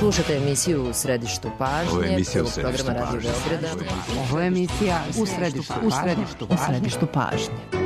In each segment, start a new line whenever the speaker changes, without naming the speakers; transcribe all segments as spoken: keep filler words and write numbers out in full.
Slušate emisiju U središtu pažnje.
Ovo je emisija U
središtu pažnje.
Ovo je emisija U središtu pažnje. U središtu pažnje. U središtu pažnje.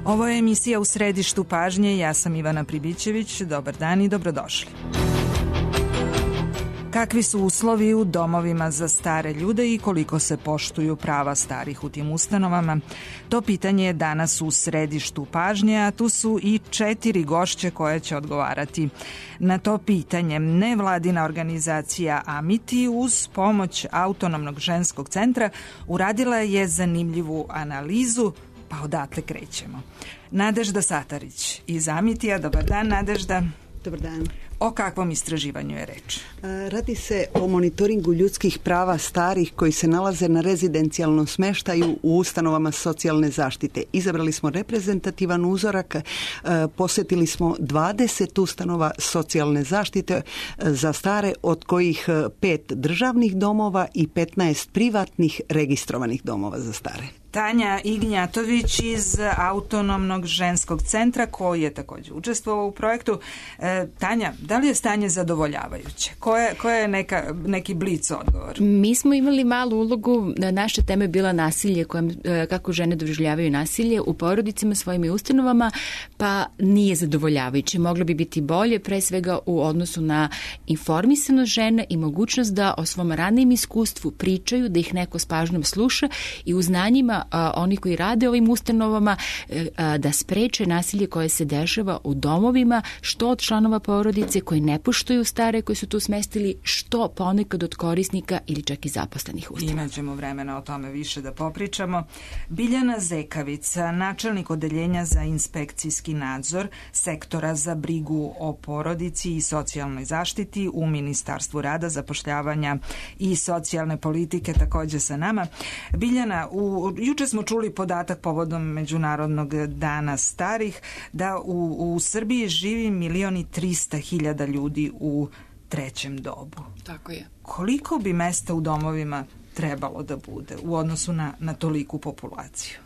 Ovo je emisija U središtu pažnje. Ja sam Ivana Pribićević. Dobar dan i dobrodošli. Kakvi su uslovi u domovima za stare ljude i koliko se poštuju prava starih u tim ustanovama? To pitanje je danas u središtu pažnje, a tu su i četiri gošće koje će odgovarati na to pitanje. Nevladina organizacija Amiti uz pomoć Autonomnog ženskog centra uradila je zanimljivu analizu. Pa odatle krećemo. Nadežda Satarić iz Amitija. Dobar dan, Nadežda.
Dobar dan.
O kakvom istraživanju je reč?
Radi se o monitoringu ljudskih prava starih koji se nalaze na rezidencijalnom smeštaju u ustanovama socijalne zaštite. Izabrali smo reprezentativan uzorak, posjetili smo dvadeset ustanova socijalne zaštite za stare, od kojih pet državnih domova i petnaest privatnih registrovanih domova za stare.
Tanja Ignjatović iz Autonomnog ženskog centra, koji je također učestvovao u projektu. E, Tanja, da li je stanje zadovoljavajuće? Koje, koje je neka, neki blic odgovor?
Mi smo imali malu ulogu, naša tema je bila nasilje, kojem, kako žene doživljavaju nasilje u porodicama, svojim ustanovama, pa nije zadovoljavajuće. Moglo bi biti bolje, pre svega u odnosu na informisanost žene i mogućnost da o svom ranijem iskustvu pričaju, da ih neko s pažnjom sluša i u znanjima A, oni koji rade ovim ustanovama a, da spreče nasilje koje se dešava u domovima, što od članova porodice koji ne poštuju stare koji su tu smestili, što ponekad od korisnika ili čak i zaposlenih ustanova.
Imaćemo vremena o tome više da popričamo. Biljana Zekavica, načelnik odeljenja za inspekcijski nadzor sektora za brigu o porodici i socijalnoj zaštiti u Ministarstvu rada, zapošljavanja i socijalne politike, također sa nama. Biljana, u juče smo čuli podatak povodom Međunarodnog dana starih da u, u Srbiji živi milion i trista hiljada ljudi u trećem dobu.
Tako je.
Koliko bi mesta u domovima trebalo da bude u odnosu na, na toliku populaciju?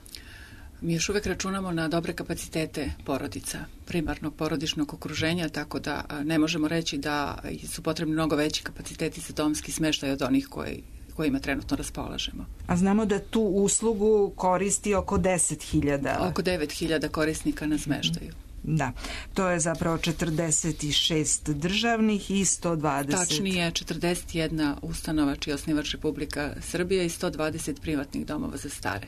Mi još uvek računamo na dobre kapacitete porodica, primarnog porodičnog okruženja, tako da ne možemo reći da su potrebni mnogo veći kapaciteti za domski smeštaj od onih koji kojima trenutno raspolažemo.
A znamo da tu uslugu koristi oko deset hiljada.
Oko devet hiljada korisnika na smeštaju.
Da, to je zapravo četrdeset šest državnih i sto dvadeset.
Tačnije, četrdeset jedna ustanova čiji je osnivač Republika Srbija i sto dvadeset privatnih domova za stare.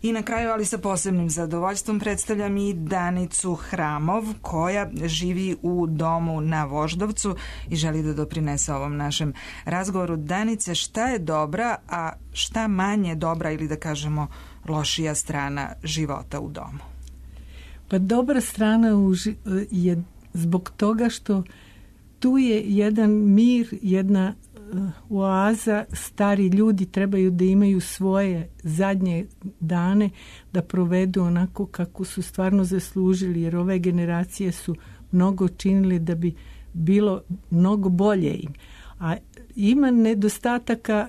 I na kraju, ali sa posebnim zadovoljstvom, predstavljam i Danicu Hramov, koja živi u domu na Voždovcu i želi da doprinese ovom našem razgovoru. Danice, šta je dobra, a šta manje dobra ili da kažemo lošija strana života u domu?
Pa dobra strana je zbog toga što tu je jedan mir, jedna oaza. Stari ljudi trebaju da imaju svoje zadnje dane da provedu onako kako su stvarno zaslužili, jer ove generacije su mnogo činili da bi bilo mnogo bolje im. A ima nedostataka,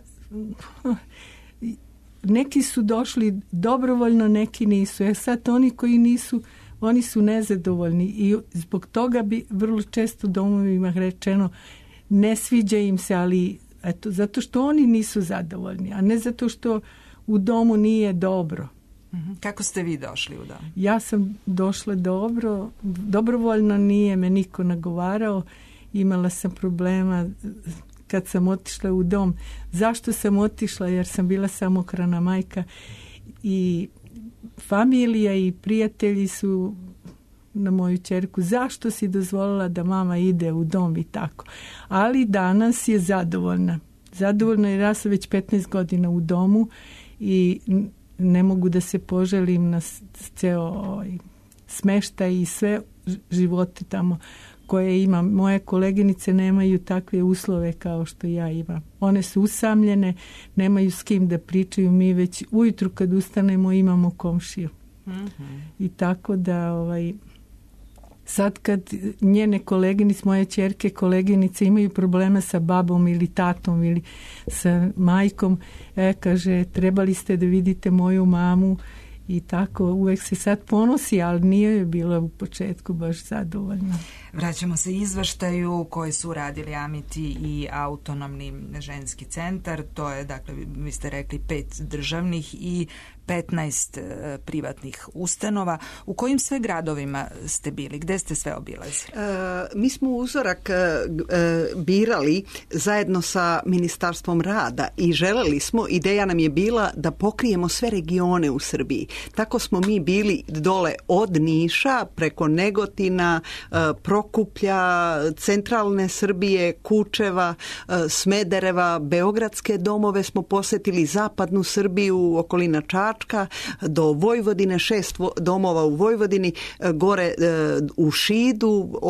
neki su došli dobrovoljno, neki nisu. E sad oni koji nisu, oni su nezadovoljni i zbog toga bi vrlo često domovima rečeno ne sviđa im se, ali eto, zato što oni nisu zadovoljni, a ne zato što u domu nije dobro.
Kako ste vi došli u dom?
Ja sam došla dobro, dobrovoljno, nije me niko nagovarao, imala sam problema kad sam otišla u dom. Zašto sam otišla? Jer sam bila samohrana majka i familija i prijatelji su na moju ćerku, zašto si dozvolila da mama ide u dom i tako. Ali danas je zadovoljna. Zadovoljna jer ja sam već petnaest godina u domu i ne mogu da se poželim na ceo ovaj, smeštaj i sve živote tamo koje imam. Moje koleginice nemaju takve uslove kao što ja imam. One su usamljene, nemaju s kim da pričaju. Mi već ujutru kad ustanemo imamo komšiju. Mm-hmm. I tako da ovaj, sad kad njene koleginice, moje ćerke koleginice imaju probleme sa babom ili tatom ili sa majkom, e, kaže, trebali ste da vidite moju mamu i tako, uvek se sad ponosi, ali nije je bila u početku baš zadovoljna.
Vraćamo se izveštaju koji su radili Amiti i autonomni ženski centar. To je, dakle, vi ste rekli pet državnih i petnaest e, privatnih ustanova. U kojim sve gradovima ste bili? Gde ste sve obilazili?
E, mi smo uzorak e, birali zajedno sa Ministarstvom rada i želeli smo, ideja nam je bila da pokrijemo sve regione u Srbiji. Tako smo mi bili dole od Niša preko Negotina, e, Prokuplja, centralne Srbije, Kučeva, e, Smedereva, beogradske domove smo posetili, zapadnu Srbiju, okolina Čačka, do Vojvodine, šest domova u Vojvodini, gore u Šidu,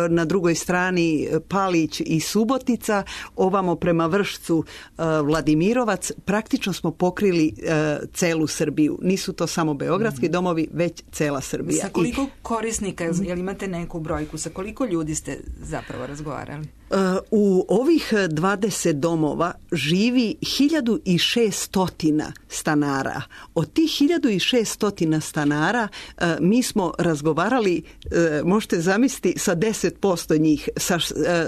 na drugoj strani Palić i Subotica, ovamo prema Vršcu Vladimirovac. Praktično smo pokrili celu Srbiju. Nisu to samo beogradski domovi, već cela Srbija.
Sa koliko korisnika, jel imate neku brojku, sa koliko ljudi ste zapravo razgovarali?
U ovih dvadeset domova živi hiljadu šesto stanara. Od tih hiljadu šesto stanara mi smo razgovarali, možete zamisliti, sa deset posto njih, sa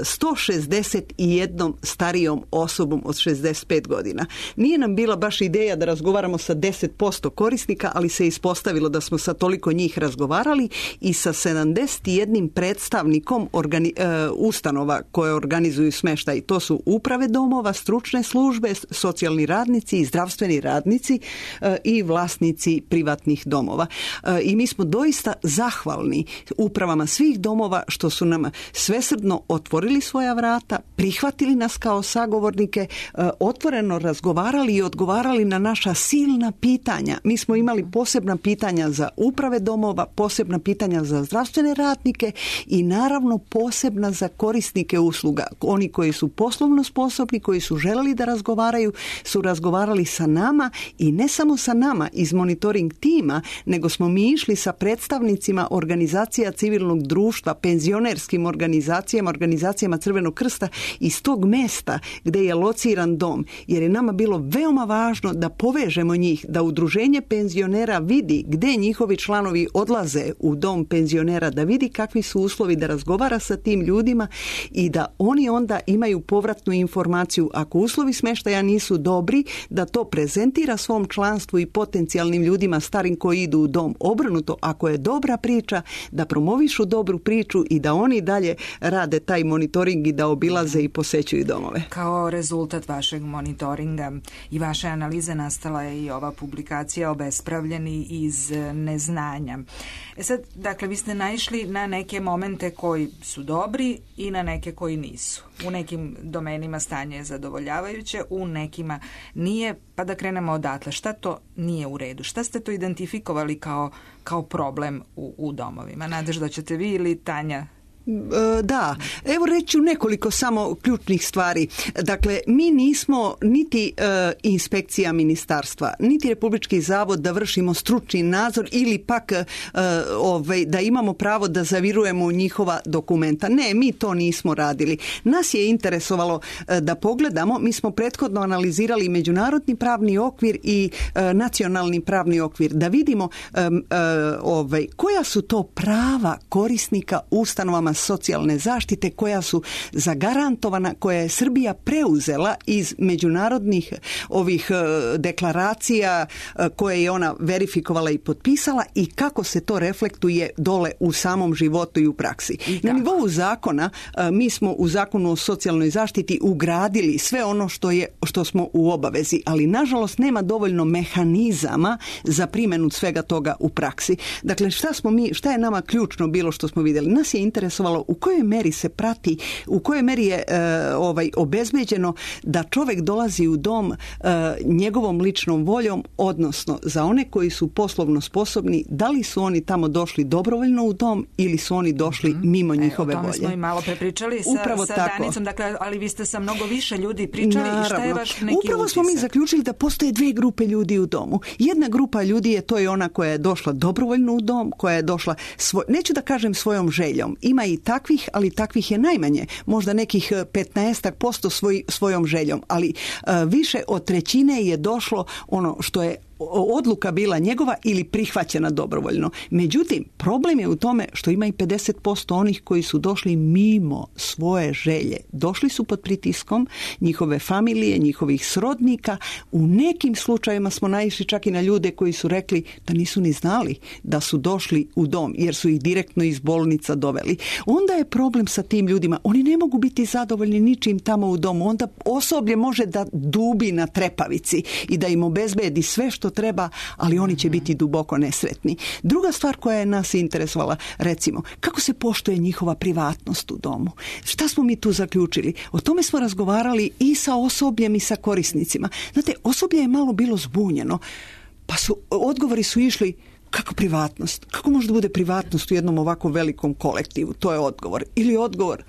sto šezdeset jednom starijom osobom od šezdeset pet godina. Nije nam bila baš ideja da razgovaramo sa deset posto korisnika, ali se ispostavilo da smo sa toliko njih razgovarali i sa sedamdeset jednim predstavnikom organi- ustanova koje organizuju smeštaj. To su uprave domova, stručne službe, socijalni radnici i zdravstveni radnici e, i vlasnici privatnih domova. E, I mi smo doista zahvalni upravama svih domova što su nam svesrdno otvorili svoja vrata, prihvatili nas kao sagovornike, e, otvoreno razgovarali i odgovarali na naša silna pitanja. Mi smo imali posebna pitanja za uprave domova, posebna pitanja za zdravstvene radnike i naravno posebna za korisnike usluga. Oni koji su poslovno sposobni, koji su želeli da razgovaraju, su razgovarali sa nama i ne samo sa nama iz monitoring tima, nego smo mi išli sa predstavnicima organizacija civilnog društva, penzionerskim organizacijama, organizacijama Crvenog krsta iz tog mesta gde je lociran dom, jer je nama bilo veoma važno da povežemo njih, da udruženje penzionera vidi gde njihovi članovi odlaze u dom penzionera, da vidi kakvi su uslovi, da razgovara sa tim ljudima i da oni onda imaju povratnu informaciju. Ako uslovi smeštaja nisu dobri, da to prezentira svom članstvu i potencijalnim ljudima starim koji idu u dom. Obrnuto, ako je dobra priča, da promovišu dobru priču i da oni dalje rade taj monitoring i da obilaze i posećuju domove.
Kao rezultat vašeg monitoringa i vaše analize nastala je i ova publikacija Obespravljeni iz neznanja. E sad, dakle, vi ste naišli na neke momente koji su dobri i na neke koji nisu. U nekim domenima stanje je zadovoljavajuće, u nekima nije, pa da krenemo odatle. Šta to nije u redu? Šta ste to identifikovali kao, kao problem u, u domovima? Nadežda ćete vi ili Tanja?
Da, evo reći u nekoliko samo ključnih stvari. Dakle, mi nismo niti e, inspekcija ministarstva, niti Republički zavod da vršimo stručni nadzor ili pak e, ovaj, da imamo pravo da zavirujemo u njihova dokumenta. Ne, mi to nismo radili. Nas je interesovalo e, da pogledamo, mi smo prethodno analizirali međunarodni pravni okvir i e, nacionalni pravni okvir, da vidimo e, e, ovaj, koja su to prava korisnika ustanovama socijalne zaštite koja su zagarantovana, koja je Srbija preuzela iz međunarodnih ovih deklaracija koje je ona verifikovala i potpisala i kako se to reflektuje dole u samom životu i u praksi. I na nivou zakona mi smo u Zakonu o socijalnoj zaštiti ugradili sve ono što je što smo u obavezi, ali nažalost nema dovoljno mehanizama za primjenu svega toga u praksi. Dakle, šta smo mi, šta je nama ključno bilo što smo vidjeli? Nas je interesovalo u kojoj meri se prati, u kojoj meri je e, ovaj obezbeđeno da čovjek dolazi u dom e, njegovom ličnom voljom, odnosno za one koji su poslovno sposobni, da li su oni tamo došli dobrovoljno u dom ili su oni došli mm-hmm. mimo njihove volje.
O tome smo i malo prepričali sa,
Upravo
sa
tako.
Danicom, dakle, ali vi ste sa mnogo više ljudi pričali. Naravno. I šta je vaš neki
Upravo
utisak?
smo mi zaključili da postoje dvije grupe ljudi u domu. Jedna grupa ljudi je to je ona koja je došla dobrovoljno u dom, koja je došla, svoj, neću da kažem svojom željom, ima i takvih, ali takvih je najmanje, možda nekih petnaestak posto svoj, svojom željom, ali uh, više od trećine je došlo ono što je odluka bila njegova ili prihvaćena dobrovoljno. Međutim, problem je u tome što ima i pedeset posto onih koji su došli mimo svoje želje. Došli su pod pritiskom njihove familije, njihovih srodnika. U nekim slučajevima smo naišli čak i na ljude koji su rekli da nisu ni znali da su došli u dom jer su ih direktno iz bolnica doveli. Onda je problem sa tim ljudima. Oni ne mogu biti zadovoljni ničim tamo u domu. Onda osoblje može da dubi na trepavici i da im obezbedi sve što treba, ali oni će biti duboko nesretni. Druga stvar koja je nas interesovala, recimo, kako se poštuje njihova privatnost u domu? Šta smo mi tu zaključili? O tome smo razgovarali i sa osobljem i sa korisnicima. Znate, osoblje je malo bilo zbunjeno, pa su, odgovori su išli kako privatnost? Kako može da bude privatnost u jednom ovako velikom kolektivu? To je odgovor. Ili odgovor,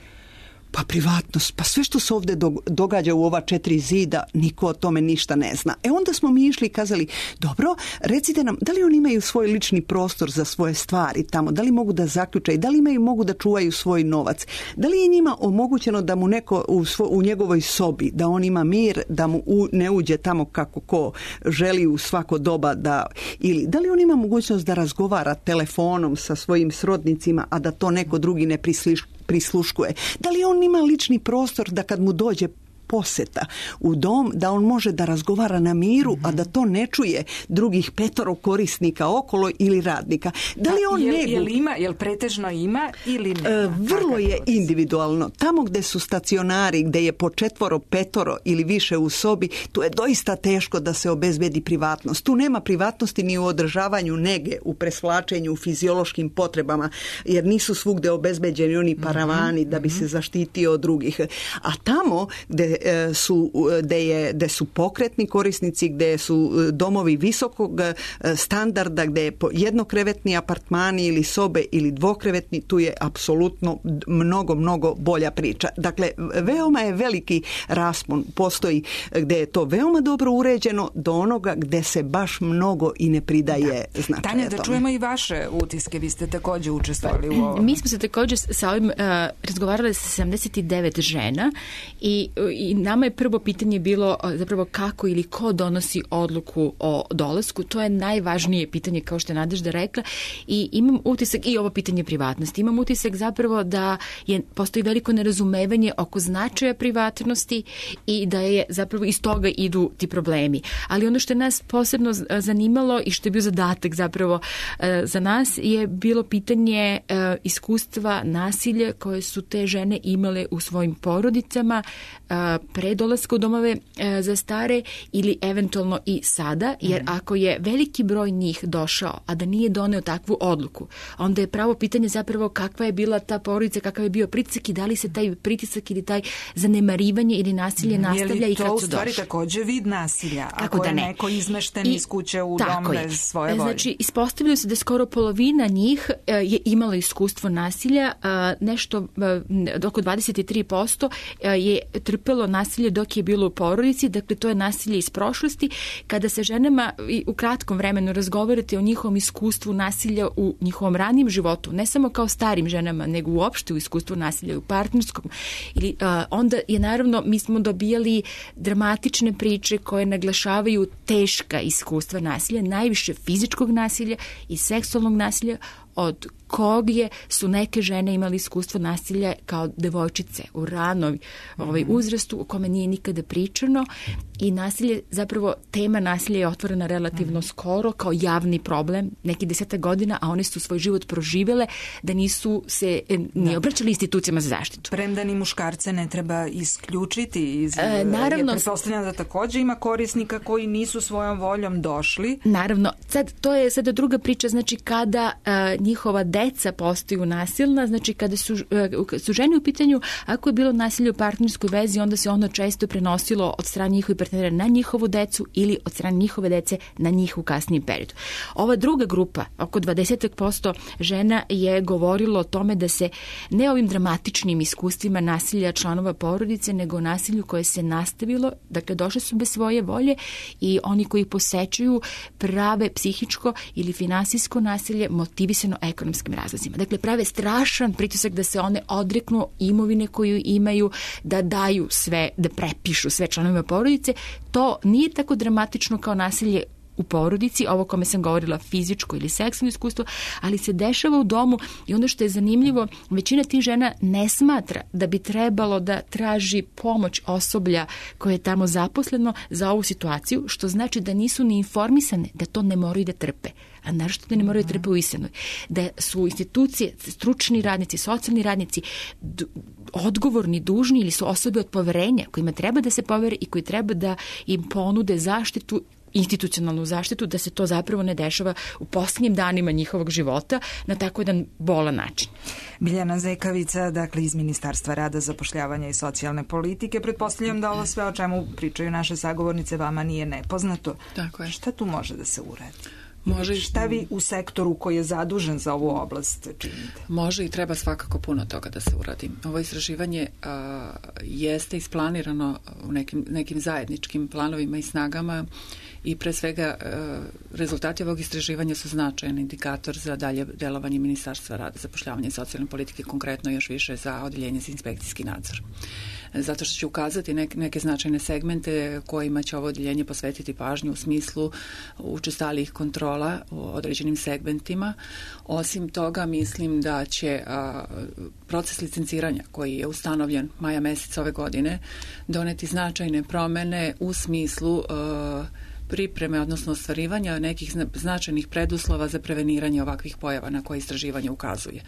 pa privatnost, pa sve što se ovdje događa u ova četiri zida, niko o tome ništa ne zna. E onda smo mi išli i kazali, dobro, recite nam, da li oni imaju svoj lični prostor za svoje stvari tamo, da li mogu da zaključaju, da li imaju, mogu da čuvaju svoj novac, da li je njima omogućeno da mu neko u, svo, u njegovoj sobi, da on ima mir, da mu u, ne uđe tamo kako ko želi u svako doba, da, ili da li on ima mogućnost da razgovara telefonom sa svojim srodnicima, a da to neko drugi ne prisliš, prisluškuje. Da li on ima lični prostor da kad mu dođe poseta u dom, da on može da razgovara na miru, mm-hmm. a da to ne čuje drugih petoro korisnika okolo ili radnika. Da li on
jel,
negu...
Jel ima, jel pretežno ima ili nema?
E, vrlo je individualno. Tamo gde su stacionari, gde je po četvoro, petoro ili više u sobi, tu je doista teško da se obezbedi privatnost. Tu nema privatnosti ni u održavanju nege, u presvlačenju, u fiziološkim potrebama, jer nisu svugde obezbeđeni oni paravani mm-hmm. da bi se zaštitio od drugih. A tamo gde su, gde, je, gde su pokretni korisnici, gde su domovi visokog standarda, gde je jednokrevetni apartmani ili sobe ili dvokrevetni, tu je apsolutno mnogo, mnogo bolja priča. Dakle, veoma je veliki raspon, postoji gde je to veoma dobro uređeno do onoga gde se baš mnogo i ne pridaje da. značaja
Tanja, da
tome.
čujemo i vaše utiske, vi ste također učestvovali u ovom.
Mi smo se također sa ovim uh, razgovarali sa sedamdeset devet žena i, i nama je prvo pitanje bilo zapravo kako ili ko donosi odluku o dolasku. To je najvažnije pitanje, kao što je Nadežda rekla, i imam utisak, i ovo pitanje privatnosti, imam utisak zapravo da je, postoji veliko nerazumevanje oko značaja privatnosti i da je zapravo iz toga idu ti problemi. Ali ono što je nas posebno zanimalo i što je bio zadatak zapravo za nas je bilo pitanje iskustva nasilja koje su te žene imale u svojim porodicama pre dolaska u domove za stare ili eventualno i sada, jer ako je veliki broj njih došao, a da nije doneo takvu odluku, onda je pravo pitanje zapravo kakva je bila ta porodica, kakav je bio pritisak i da li se taj pritisak ili taj zanemarivanje ili nasilje nastavlja i kad su došli. Je li to u stvari
također vid nasilja?
Kako
ako
da
je
ne?
neko izmešten
I,
iz kuće u dom bez svoje volje?
Znači, ispostavilo se da skoro polovina njih je imala iskustvo nasilja, nešto oko dvadeset tri posto je trpelo nasilje dok je bilo u porodici, dakle to je nasilje iz prošlosti. Kada se ženama u kratkom vremenu razgovarate o njihovom iskustvu nasilja u njihovom ranijem životu, ne samo kao starim ženama, nego uopšte u iskustvu nasilja u partnerskom, ili, uh, onda je naravno, mi smo dobijali dramatične priče koje naglašavaju teška iskustva nasilja, najviše fizičkog nasilja i seksualnog nasilja od kog je su neke žene imali iskustvo nasilja kao devojčice u ranoj ovaj, uzrastu o kome nije nikada pričano i nasilje, zapravo tema nasilja je otvorena relativno mm. skoro kao javni problem, neki deseta godina, a one su svoj život proživele da nisu se ni obraćali institucijama za zaštitu.
Premda ni muškarce ne treba isključiti iz... E,
naravno,
pretpostavljam da također ima korisnika koji nisu svojom voljom došli.
Naravno, sad to je sada druga priča, znači kada a, njihova deca postaju nasilna, znači kada su, a, su žene u pitanju, ako je bilo nasilje u partnerskoj vezi, onda se ono često prenosilo od strane njihovih partnera na njihovu decu ili od strane njihove dece na njihov kasniji period. Ova druga grupa, oko dvadeset posto žena je govorilo o tome da se ne ovim dramatičnim iskustvima nasilja članova porodice, nego nasilju koje se nastavilo, dakle došle su bez svoje volje i oni koji posećuju prave psihičko ili finansijsko nasilje motivisano ekonomskim razlozima. Dakle, prave strašan pritisak da se one odreknu imovine koju imaju, da daju sve, da prepišu sve članovima porodice. To nije tako dramatično kao nasilje u porodici, ovo kome sam govorila fizičko ili seksualno iskustvo, ali se dešava u domu i ono što je zanimljivo, većina tih žena ne smatra da bi trebalo da traži pomoć osoblja koje je tamo zaposleno za ovu situaciju, što znači da nisu ni informisane da to ne moraju da trpe, a našto da ne moraju da trpe u istinu. Da su institucije, stručni radnici, socijalni radnici d- odgovorni, dužni ili su osobe od poverenja kojima treba da se povere i koji treba da im ponude zaštitu, institucionalnu zaštitu, da se to zapravo ne dešava u posljednjim danima njihovog života na tako jedan bolan način.
Biljana Zekavica, dakle iz Ministarstva rada, zapošljavanja i socijalne politike. Pretpostavljam da ovo sve o čemu pričaju naše sagovornice vama nije nepoznato.
Tako je.
Šta tu može da se uradi?
Može,
šta vi u sektoru koji je zadužen za ovu oblast činite?
Može i treba svakako puno toga da se uradi. Ovo istraživanje a, jeste isplanirano u nekim, nekim zajedničkim planovima i snagama i pre svega a, rezultati ovog istraživanja su značajan indikator za dalje delovanje Ministarstva rada, zapošljavanja i socijalne politike, konkretno još više za odeljenje za inspekcijski nadzor. Zato što će ukazati neke, neke značajne segmente kojima će ovo odeljenje posvetiti pažnju u smislu učestalijih kontrola u određenim segmentima. Osim toga, mislim da će a, proces licenciranja koji je ustanovljen maja meseca ove godine doneti značajne promene u smislu a, pripreme, odnosno ostvarivanja nekih značajnih preduslova za preveniranje ovakvih pojava na koje istraživanje ukazuje.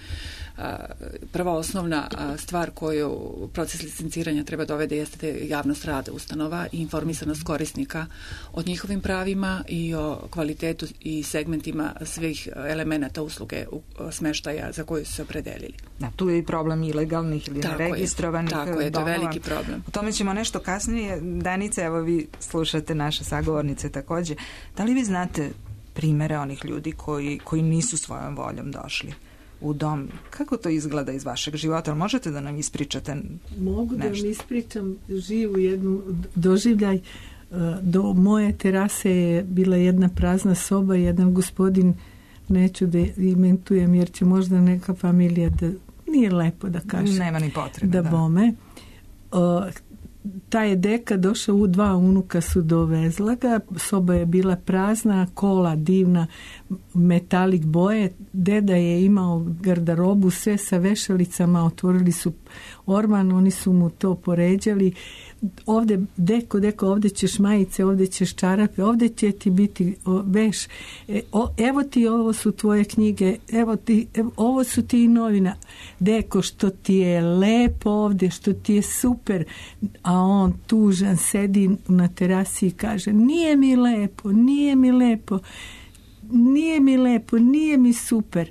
Prva osnovna stvar koju proces licenciranja treba dovede jeste javnost rada ustanova i informisanost korisnika o njihovim pravima i o kvalitetu i segmentima svih elemenata usluge smeštaja za koju su se opredelili.
Da, tu je i problem ilegalnih ili
tako
neregistrovanih
je, tako je, to je veliki problem.
O tome ćemo nešto kasnije. Danica, evo vi slušate naše sagovornice također. Da li vi znate primere onih ljudi koji, koji nisu svojom voljom došli u dom? Kako to izgleda iz vašeg života? Možete da nam ispričate
Mogu
nešto?
da vam ispričam živu jednu doživljaj. Do moje terase je bila jedna prazna soba, jedan gospodin, neću da imentujem jer će možda neka familija da nije lepo da kaže.
Nema ni potrebe.
Da, da. Bome. O, ta je deka došao, u dva unuka su dovezla ga, soba je bila prazna, kola divna, metalik boje, deda je imao garderobu, sve sa vešalicama, otvorili su orman, oni su mu to poređali, ovde, deko, deko, ovde ćeš majice, ovde ćeš čarape, ovde će ti biti o, veš, e, o, evo ti, ovo su tvoje knjige, evo ti, evo, ovo su ti novina, deko, što ti je lepo ovde, što ti je super, a on tužan sedi na terasi i kaže, nije mi lepo, nije mi lepo, nije mi lepo, nije mi super.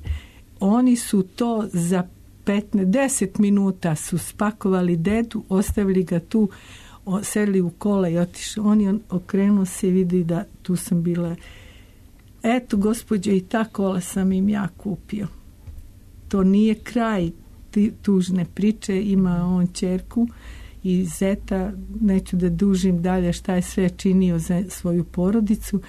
Oni su to za petnaest, deset minuta su spakovali dedu, ostavili ga tu, sedli u kola i otišao. On je okrenuo se i vidi da tu sam bila. Eto, gospođe, i ta kola sam im ja kupio. To nije kraj tužne priče. Ima on ćerku i zeta, neću da dužim dalje šta je sve činio za svoju porodicu.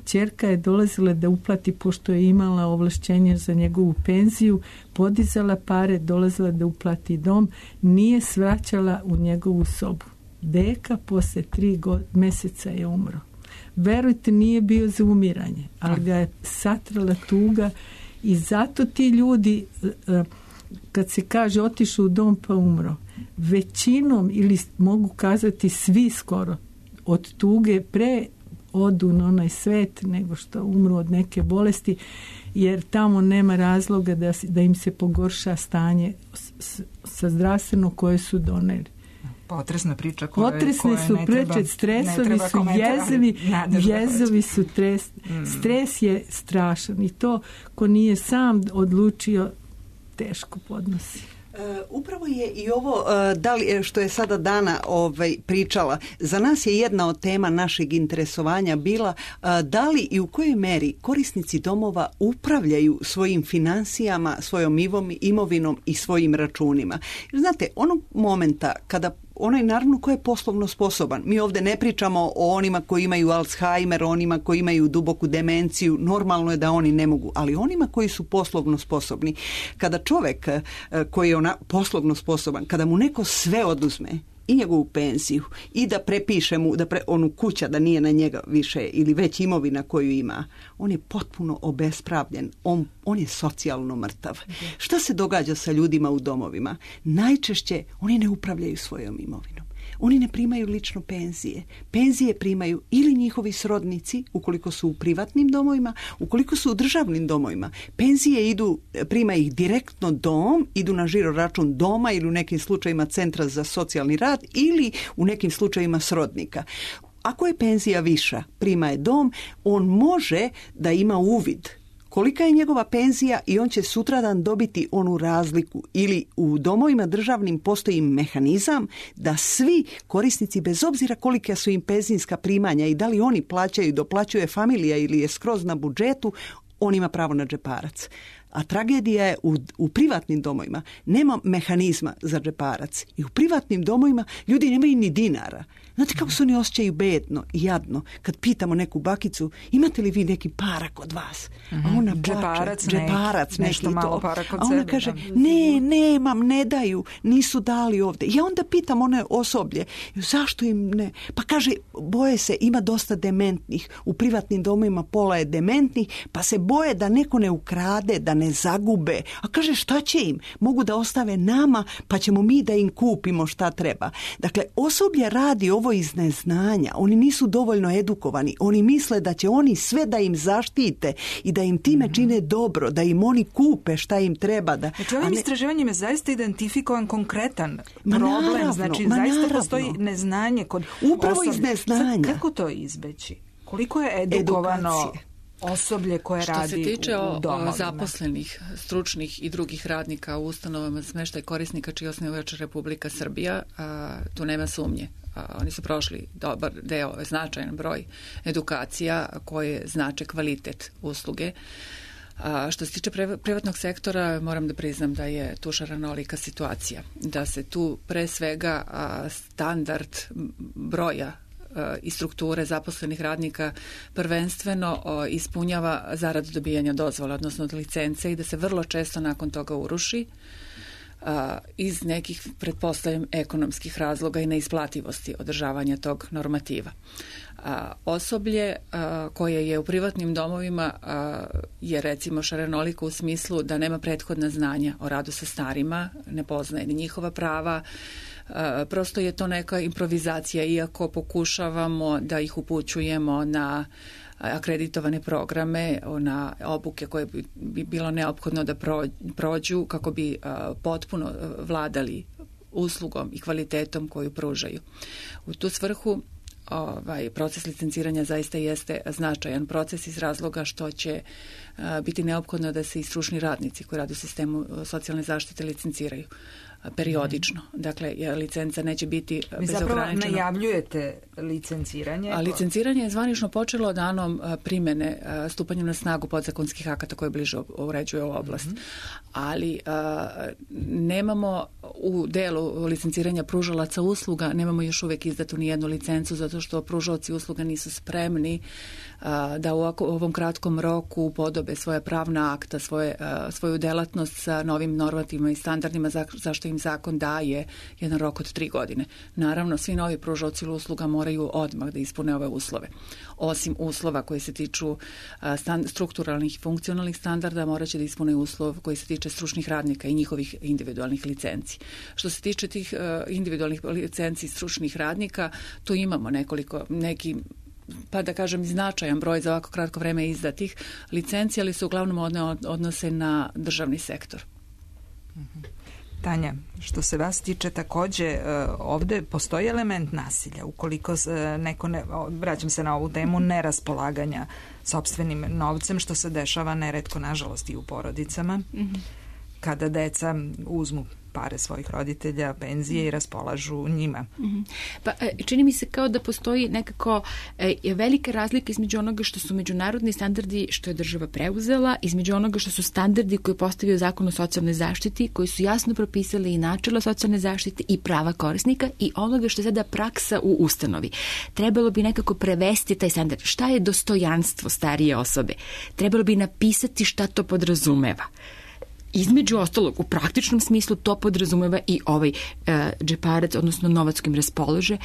Ćerka je dolazila da uplati, pošto je imala ovlašćenje za njegovu penziju, podizala pare, dolazila da uplati dom, nije svraćala u njegovu sobu. Deka posle tri go- meseca je umro. Verujte, nije bio za umiranje, ali ga je satrala tuga I zato ti ljudi, kad se kaže otišu u dom pa umro, većinom, ili mogu kazati svi skoro, od tuge pre odu na onaj svet nego što umru od neke bolesti, jer tamo nema razloga da, da im se pogorša stanje s, s, sa zdravstveno koje su doneli.
Potresna priča koja,
Potresne
koja
su
ne
preče,
treba,
stresovi
ne
su jezivi, jezovi su tres, mm. stres je strašan i to ko nije sam odlučio teško podnosi.
Uh, upravo je i ovo uh, da li, što je sada Dana ovaj, pričala, za nas je jedna od tema našeg interesovanja bila uh, da li i u kojoj meri korisnici domova upravljaju svojim financijama, svojom imovinom i svojim računima. Jer znate, onog momenta kada onaj naravno ko je poslovno sposoban. Mi ovdje ne pričamo o onima koji imaju Alzheimer, onima koji imaju duboku demenciju, normalno je da oni ne mogu, ali onima koji su poslovno sposobni. Kada čovjek koji je ona poslovno sposoban, kada mu neko sve oduzme, i njegovu penziju, i da prepiše mu da pre, onu kuća da nije na njega više ili već imovina koju ima, on je potpuno obespravljen, on, on je socijalno mrtav. Okay. Šta se događa sa ljudima u domovima? Najčešće oni ne upravljaju svojom imovinom. Oni ne primaju lično penzije. Penzije primaju ili njihovi srodnici, ukoliko su u privatnim domovima, ukoliko su u državnim domovima. Penzije idu, prima ih direktno dom, idu na žiro račun doma ili u nekim slučajima centra za socijalni rad ili u nekim slučajima srodnika. Ako je penzija viša, prima je dom, on može da ima uvid kolika je njegova penzija i on će sutradan dobiti onu razliku. Ili u domovima državnim postoji mehanizam da svi korisnici, bez obzira kolika su im penzijska primanja i da li oni plaćaju, doplaćuje familija ili je skroz na budžetu, on ima pravo na džeparac. A tragedija je u, u privatnim domovima. Nema mehanizma za džeparac. I u privatnim domovima ljudi nemaju ni dinara. Znate kako se oni osjećaju bedno i jadno kad pitamo neku bakicu, imate li vi neki para kod vas? A ona plače,
džeparac,
džeparac neki,
nešto malo para kod
a ona
sebe,
kaže,
da.
ne, nemam, ne daju, nisu dali ovdje. Ja onda pitam one osoblje, zašto im ne? Pa kaže, boje se, ima dosta dementnih. U privatnim domovima pola je dementnih, pa se boje da neko ne ukrade, da ne zagube. A kaže, šta će im? Mogu da ostave nama, pa ćemo mi da im kupimo šta treba. Dakle, osoblje radi ovo iz neznanja. Oni nisu dovoljno edukovani. Oni misle da će oni sve da im zaštite i da im time mm-hmm. čine dobro, da im oni kupe šta im treba. Da,
znači, ovim ne... istraživanjem je zaista identifikovan konkretan
ma
problem.
Naravno,
znači,
ma
zaista
naravno.
postoji neznanje kod
upravo
osoblje.
Iz neznanja.
Sad, kako to izbeći? Koliko je edukovano edukacije osoblje koje
što
radi
se tiče
u, u domovima?
Zaposlenih, stručnih i drugih radnika u ustanovama smještaj korisnika čiji osnivač Republika Srbija, a, tu nema sumnje. A, oni su prošli dobar deo, značajan broj edukacija koje znače kvalitet usluge. A, što se tiče privatnog sektora, moram da priznam da je tu šarenolika situacija. Da se tu pre svega a, standard broja i strukture zaposlenih radnika prvenstveno o, ispunjava zarad dobijanja dozvola, odnosno licence, i da se vrlo često nakon toga uruši a, iz nekih, pretpostavljam, ekonomskih razloga i neisplativosti održavanja tog normativa. A, osoblje a, koje je u privatnim domovima a, je recimo šarenoliko u smislu da nema prethodna znanja o radu sa starima, ne poznaje ni njihova prava. Uh, prosto je to neka improvizacija, iako pokušavamo da ih upućujemo na akreditovane programe, na obuke koje bi, bi bilo neophodno da prođu kako bi uh, potpuno vladali uslugom i kvalitetom koju pružaju. U tu svrhu ovaj proces licenciranja zaista jeste značajan proces iz razloga što će uh, biti neophodno da se i stručni radnici koji rade u sistemu socijalne zaštite licenciraju periodično. Dakle, licenca neće biti bezograničena.
Vi zapravo najavljujete licenciranje?
A licenciranje je zvanično počelo danom primjene, stupanjem na snagu podzakonskih akata koje bliže uređuje ovu oblast. Mm-hmm. Ali a, nemamo u delu licenciranja pružalaca usluga nemamo još uvijek izdatu ni jednu licencu zato što pružalci usluga nisu spremni da u ovom kratkom roku podobe svoje pravna akta, svoje, svoju delatnost sa novim normativima i standardima za, zašto im zakon daje jedan rok od tri godine. Naravno, svi novi pružalci usluga moraju odmah da ispune ove uslove. Osim uslova koji se tiču stand, strukturalnih i funkcionalnih standarda, morat će da ispune uslov koji se tiče stručnih radnika i njihovih individualnih licenci. Što se tiče tih individualnih licenci stručnih radnika, tu imamo nekoliko, neki pa da kažem značajan broj za ovako kratko vreme izdatih licenci, ali se uglavnom odnose na državni sektor.
Tanja, što se vas tiče takođe, ovde postoji element nasilja. Ukoliko neko, ne, vraćam se na ovu temu, neraspolaganja sopstvenim novcem, što se dešava neretko, nažalost, i u porodicama, mm-hmm. kada deca uzmu pare svojih roditelja, penzije i raspolažu njima.
Mm-hmm. Pa čini mi se kao da postoji nekako e, velika razlika između onoga što su međunarodni standardi što je država preuzela, između onoga što su standardi koji postavio Zakon o socijalnoj zaštiti, koji su jasno propisali i načela socijalne zaštite i prava korisnika i onoga što je sada praksa u ustanovi. Trebalo bi nekako prevesti taj standard. Šta je dostojanstvo starije osobe? Trebalo bi napisati šta to podrazumeva. Između ostalog, u praktičnom smislu to podrazumeva i ovaj e, džeparac, odnosno novac kojim raspolože.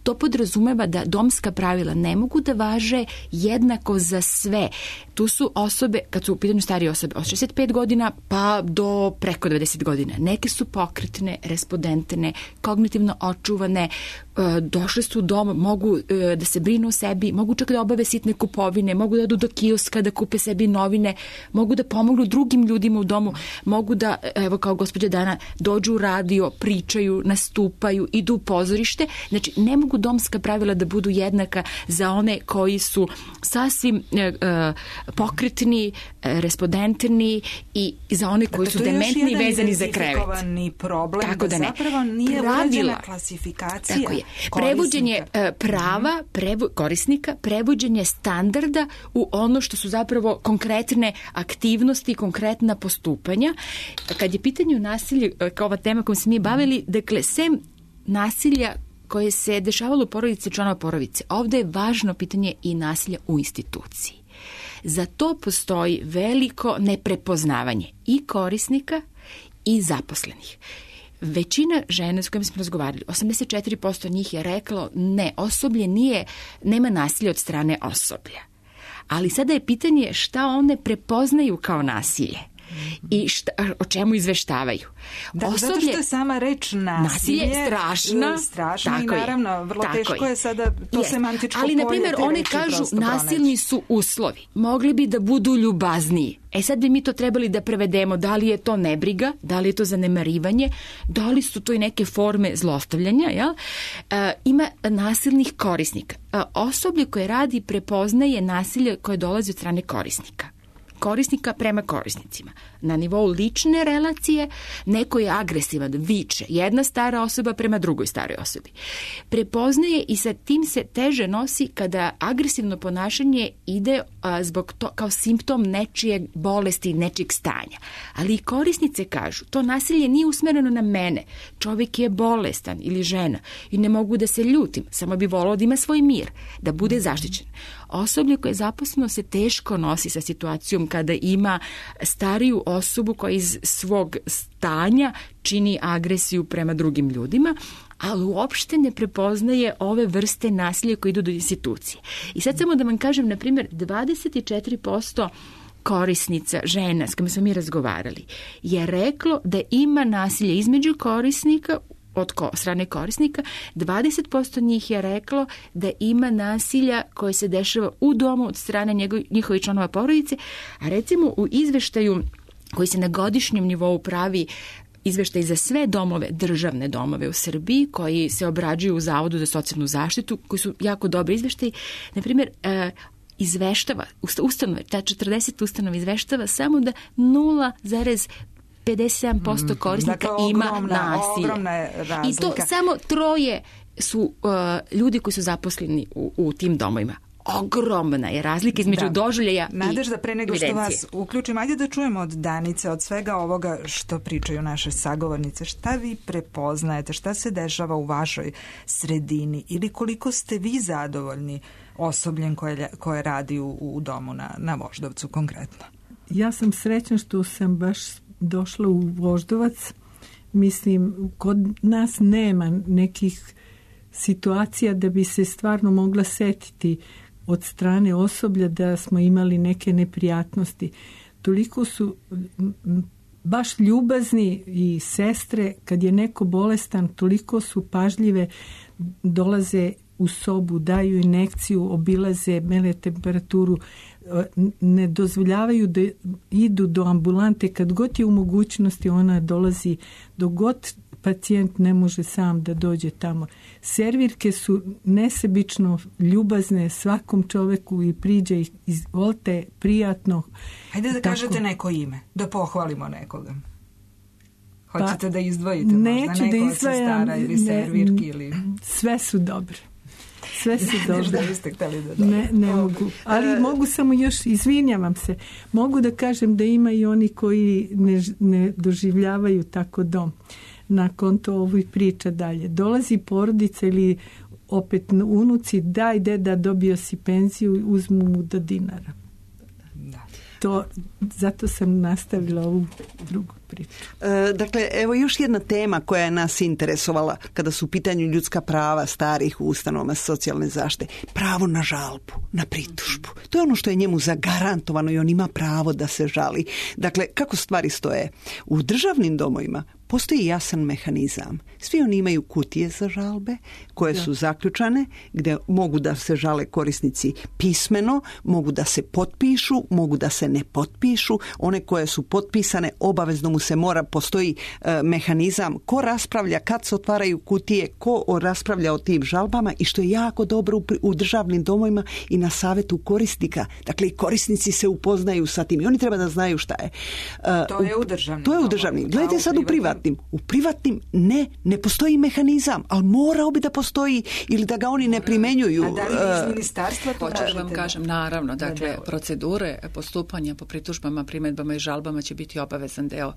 To podrazumeva da domska pravila ne mogu da važe jednako za sve. Tu su osobe, kad su u pitanju starije osobe, od šezdeset pet godina pa do preko devedeset godina. Neke su pokretne, respondentne, kognitivno očuvane, e, došle su u dom, mogu e, da se brinu o sebi, mogu čak da obave sitne kupovine, mogu da odu do kioska da kupe sebi novine, mogu da pomognu drugim ljudima u domu, mogu da, evo kao gospođa Dana, dođu u radio, pričaju, nastupaju, idu u pozorište. Znači, ne mogu domska pravila da budu jednaka za one koji su sasvim e, e, pokretni, e, respondentni i za one koji dakle, su dementni i vezani za krevet.
Problem,
tako da, da ne.
Zapravo nije urađena klasifikacija.
Tako je. Prevođenje e, prava prevo, korisnika, prevođenje standarda u ono što su zapravo konkretne aktivnosti, konkretna postupanja. Kad je pitanje o nasilju, kao ova tema kojom se mi bavili, dakle, sem nasilja koje se dešavalo u porodici članova porodice, ovde je važno pitanje i nasilja u instituciji. Za to postoji veliko neprepoznavanje i korisnika i zaposlenih. Većina žena s kojima smo razgovarali, osamdeset četiri posto njih je reklo ne, osoblje nije, nema nasilja od strane osoblja. Ali sada je pitanje šta one prepoznaju kao nasilje. I šta, o čemu izveštavaju.
Da, osoblje, zato što je sama reč nasilje,
nasilje je strašna,
strašna i naravno je, vrlo teško je, je sada to yes. semantičko
ali,
polje.
Ali, na primjer, one kažu nasilni pronaći. Su uslovi. Mogli bi da budu ljubazniji. E sad bi mi to trebali da prevedemo. Da li je to nebriga, da li je to zanemarivanje, da li su to i neke forme zlostavljanja. Jel? E, ima nasilnih korisnika. E, osoblje koje radi prepoznaje nasilje koje dolazi od strane korisnika. Korisnika prema korisnicima. Na nivou lične relacije neko je agresivan, viče, jedna stara osoba prema drugoj staroj osobi. Prepoznaje i sa tim se teže nosi kada agresivno ponašanje ide a, zbog to, kao simptom nečije bolesti, nečijeg stanja. Ali i korisnice kažu, to nasilje nije usmereno na mene. Čovjek je bolestan ili žena i ne mogu da se ljutim, samo bi volao da ima svoj mir, da bude zaštićen. Osoblje koje je zaposleno se teško nosi sa situacijom kada ima stariju osobu koja iz svog stanja čini agresiju prema drugim ljudima, ali uopšte ne prepoznaje ove vrste nasilja koje idu do institucije. I sad samo da vam kažem, na primjer, dvadeset četiri posto korisnica, žena s kojima smo mi razgovarali, je reklo da ima nasilje između korisnika od ko, strane korisnika, dvadeset posto njih je reklo da ima nasilja koje se dešava u domu od strane njegov, njihovih članova porodice, a recimo u izveštaju koji se na godišnjem nivou pravi izveštaj za sve domove, državne domove u Srbiji, koji se obrađuju u Zavodu za socijalnu zaštitu, koji su jako dobri izveštaji, na primjer, e, izveštava, ustanove, ta četrdeset ustanova izveštava samo da nula zarez pedeset sedam posto korisnika
dakle,
ima
ogromna,
nasilje.
Ogromna je razlika.
I to samo troje su uh, ljudi koji su zaposleni u, u tim domovima. ogromna je razlika između da. doživljaja i
Nadežda, pre nego što vas uključim, ajde da čujemo od Danice, od svega ovoga što pričaju naše sagovornice, šta vi prepoznajete, šta se dešava u vašoj sredini ili koliko ste vi zadovoljni osobljem koje, koje radi u, u domu na, na Voždovcu konkretno?
Ja sam srećna što sam baš došla u Voždovac. Mislim, kod nas nema nekih situacija da bi se stvarno mogla setiti od strane osoblja da smo imali neke neprijatnosti. Toliko su baš ljubazni i sestre, kad je neko bolestan, toliko su pažljive, dolaze u sobu, daju injekciju, obilaze, mere temperaturu, ne dozvoljavaju da idu do ambulante. Kad god je u mogućnosti, ona dolazi, dok god pacijent ne može sam da dođe tamo. Servirke su nesebično ljubazne svakom čoveku i priđe ih, izvolite, prijatno.
Hajde da
tako.
Kažete neko ime, da pohvalimo nekoga. Hoćete pa, da izdvojite
neću
možda neko
da
od sestara ili servirki? Ili...
Sve su dobre. Sve su dobre.
Da biste hteli da
ne, ne mogu. Ali mogu samo još, izvinjavam se, mogu da kažem da ima i oni koji ne, ne doživljavaju tako dom. Na konto ovih priča dalje. Dolazi porodica ili opet unuci, daj deda, dobio si penziju, uzmu mu do dinara. Da. To, zato sam nastavila ovu drugu priču.
E, dakle, evo još jedna tema koja je nas interesovala kada su u pitanju ljudska prava starih u ustanovama socijalne zaštite. Pravo na žalbu, na pritužbu. To je ono što je njemu zagarantovano i on ima pravo da se žali. Dakle, kako stvari stoje? U državnim domovima postoji jasan mehanizam. Svi oni imaju kutije za žalbe koje su zaključane, gdje mogu da se žale korisnici pismeno, mogu da se potpišu, mogu da se ne potpišu. One koje su potpisane, obavezno mu se mora, postoji e, mehanizam ko raspravlja kad se otvaraju kutije, ko o, raspravlja o tim žalbama i što je jako dobro u, u državnim domovima i na savjetu korisnika. Dakle, i korisnici se upoznaju sa tim i oni treba da znaju šta je.
E, to je u državnim.
To je u državnim. Gledajte sad u privatnim. U privatnim ne, ne postoji mehanizam, ali morao bi da postoji ili da ga oni ne primenjuju.
A da li iz ministarstva to
hoću da vam kažem, naravno, dakle, procedure postupanja po pritužbama, primedbama i žalbama će biti obavezan deo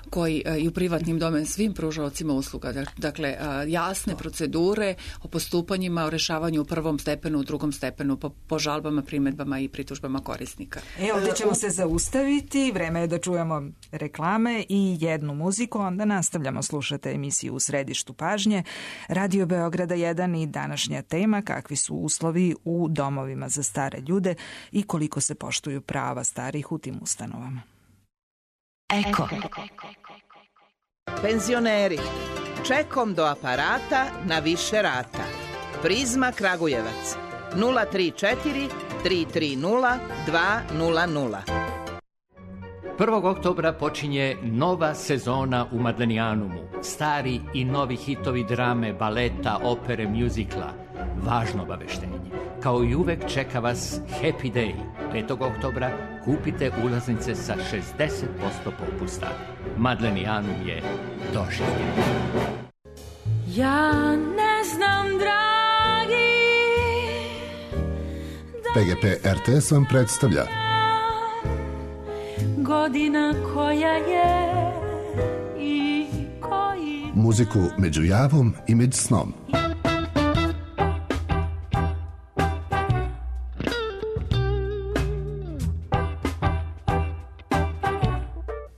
koji i u privatnim domem svim pružaocima usluga. Dakle, jasne procedure o postupanjima, o rešavanju u prvom stepenu, u drugom stepenu, po, po žalbama, primedbama i pritužbama korisnika.
E, ovdje ćemo se zaustaviti, vreme je da čujemo reklame i jednu muziku, onda nastavljamo, slušate emisiju U središtu pažnje, Radio Beograda jedan i današnja tema kakvi su uslovi u domovima za stare ljude i koliko se poštuju prava starih u tim ustanovama.
Eko. Penzioneri, čekom do aparata na više rata. Prizma Kragujevac nula tri četiri tri tri nula dva nula nula.
prvog oktobra počinje nova sezona u Madlenijanumu. Stari i novi hitovi drame, baleta, opere, mjuzikla. Važno obaveštenje. Kao i uvek čeka vas Happy Day. petog oktobra kupite ulaznice sa šezdeset posto popusta. Madlenijanum je doživljen.
Ja ne znam, dragi.
P G P R T S vam predstavlja
Godina koja je i koji...
muziku među javom i među snom.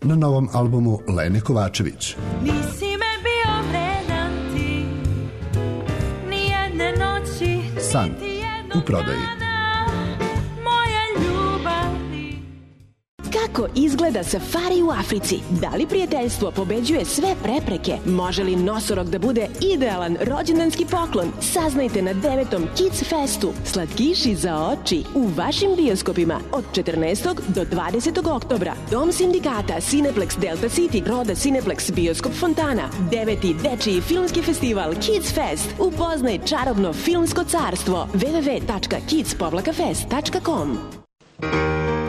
Na novom albumu Lene Kovačević.
Nisi me bio vredan ti, ni jedne noći,
San u prodaji.
Kako izgleda safari u Africi? Da li prijateljstvo pobeđuje sve prepreke? Može li nosorog da bude idealan rođendanski poklon? Saznajte na devetom Kids Festu. Slatkiši za oči u vašim bioskopima od četrnaestog do dvadesetog oktobra. Dom sindikata Cineplex Delta City, Roda Cineplex Bioskop Fontana. Deveti dečiji filmski festival Kids Fest. Upoznaj čarobno filmsko carstvo. w w w tačka kids fest tačka com.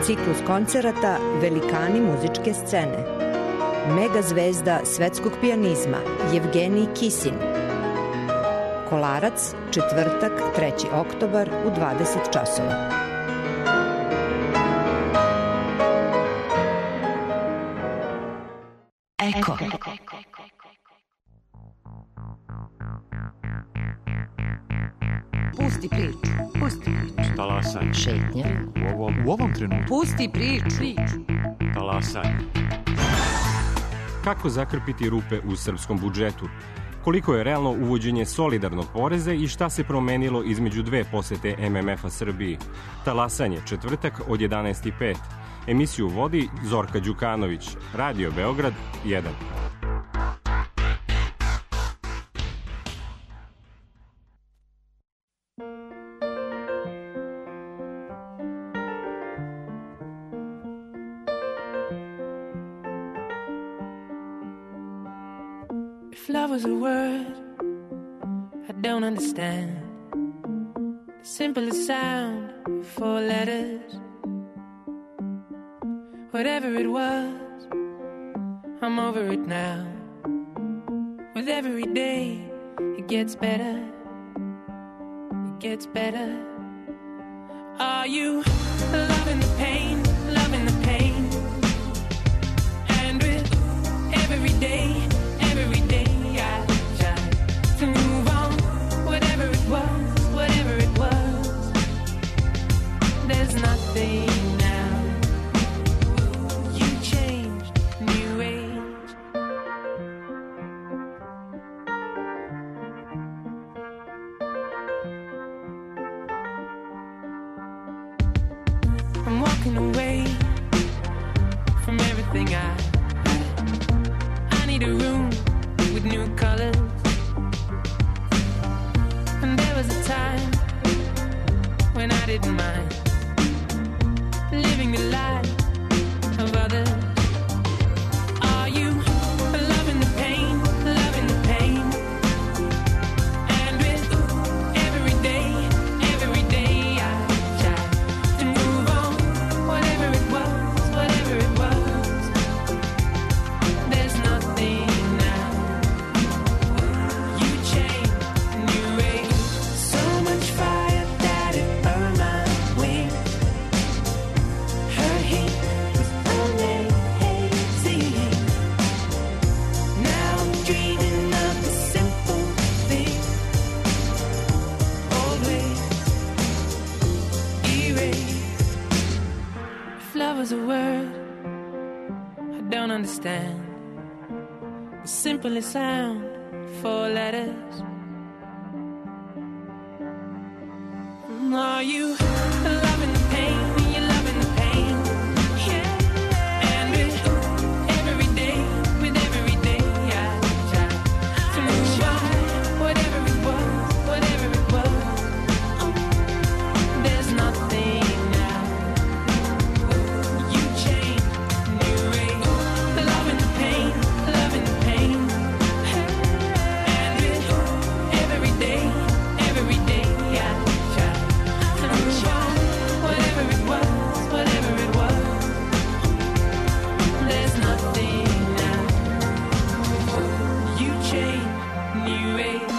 Ciklus koncerata Velikani muzičke scene. Mega zvezda svetskog pijanizma Jevgenij Kisin. Kolarac, četvrtak, treći oktobar u dvadeset časova.
Eko.
Pusti priču. Pusti priču.
Talasanje.
Šetnja.
U ovom, u ovom trenutku.
Pusti priču.
Talasanje. Kako zakrpiti rupe u srpskom budžetu? Koliko je realno uvođenje solidarnog poreza i šta se promenilo između dve posete M M F-a Srbiji? Talasanje, četvrtak od jedanaest i pet. Emisiju vodi Zorka Đukanović. Radio Beograd jedan.
If love was a word I don't understand, the simplest sound, four letters. Whatever it was, I'm over it now. With every day, it gets better. It gets better. Are you loving the pain, loving the pain? And with every day, every day I try to move on. Whatever it was, whatever it was, there's nothing now. You changed, new age. I'm walking away from everything I I need a room with new colors. And there was a time when I didn't mind living the life of others. Are you loving the pain, loving the pain? And with every day, every day I try to move on. Whatever it was, whatever it was, there's nothing now. You changed, new age. So much fire that it burned my wings. Her heat was amazing. Now I'm dreaming of the simple thing. Always erase. If love was a word I don't understand, the simplest sound, four letters. Are you loving the pain? You're loving the pain. Yeah. And with every day, with every day I try to move on. Whatever it was, whatever it was, there's nothing now. You changed, new age. Loving the pain, loving the pain. And with every day, every day I try to move on. Whatever it was, whatever it was, there's nothing now. You changed, new age.